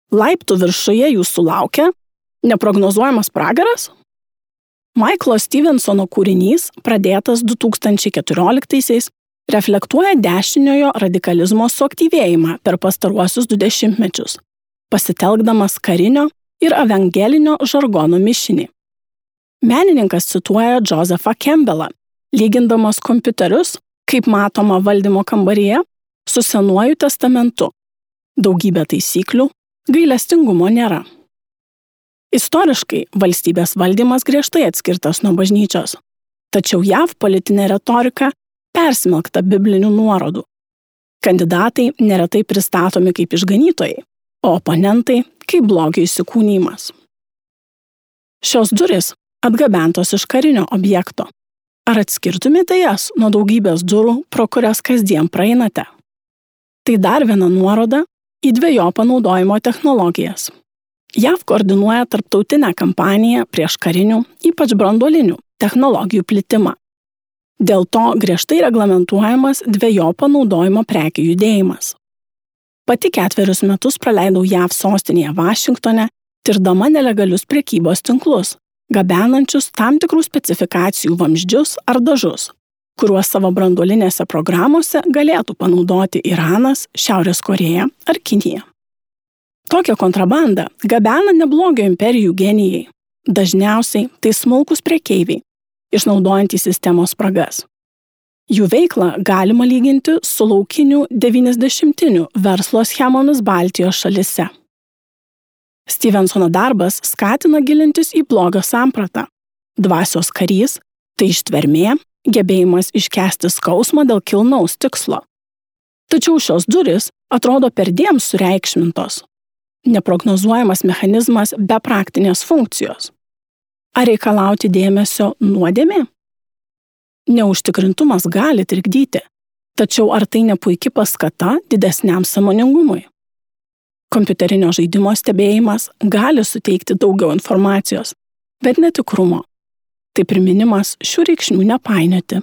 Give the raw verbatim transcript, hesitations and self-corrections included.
Laiptų viršuje jūsų laukia neprognozuojamas pragaras? Michaelo Stevensono kūrinys, pradėtas du tūkstančiai keturioliktaisiais, reflektuoja dešiniojo radikalizmo suaktyvėjimą per pastaruosius du dešimtmečius, pasitelkdamas karinio ir evangelinio žargono mišinį. Menininkas cituoja Josephą Campbellą, lygindamas kompiuterius, kaip matoma valdymo kambaryje, su Senuoju testamentu. Daugybė taisyklių, gailestingumo nėra. Istoriškai valstybės valdymas griežtai atskirtas nuo bažnyčios, tačiau J A V politinė retorika persmelkta biblinių nuorodų. Kandidatai neretai pristatomi kaip išganytojai, o oponentai kaip blogio įsikūnymas. Šios durys atgabentos iš karinio objekto. Ar atskirtumėte jas nuo daugybės durų, pro kurias kasdien praeinate? Tai dar viena nuoroda į dvejopą naudojimo technologijas. J A V koordinuoja tarptautinę kampaniją prieš karinių, ypač branduolinių, technologijų plitimą. Dėl to griežtai reglamentuojamas dvejopo naudojimo prekių judėjimas. Pati ketverius metus praleidau J A V sostinėje Vašingtone, tirdama nelegalius prekybos tinklus, gabenančius tam tikrų specifikacijų vamzdžius ar dažus, kuriuos savo branduolinėse programuose galėtų panaudoti Iranas, Šiaurės Korėja ar Kinija. Tokią kontrabandą gabena neblogio imperijų genijai. Dažniausiai tai smulkūs prekeiviai, išnaudojantys sistemos spragas. Jų veiklą galima lyginti su laukinių devyniasdešimtinių verslo schemomis Baltijos šalyse. Stevensono darbas skatina gilintis į blogio sampratą. Dvasios karys – tai ištvermė, gebėjimas iškęsti skausmą dėl kilnaus tikslo. Tačiau šios durys atrodo perdėm sureikšmintos. Neprognozuojamas mechanizmas be praktinės funkcijos. Ar reikalauti dėmesio nuodėmė? Neužtikrintumas gali trikdyti, tačiau ar tai ne puiki paskata didesniam sąmoningumui? Kompiuterinio žaidimo stebėjimas gali suteikti daugiau informacijos, bet netikrumo. Tai priminimas šių reikšmių nepainioti.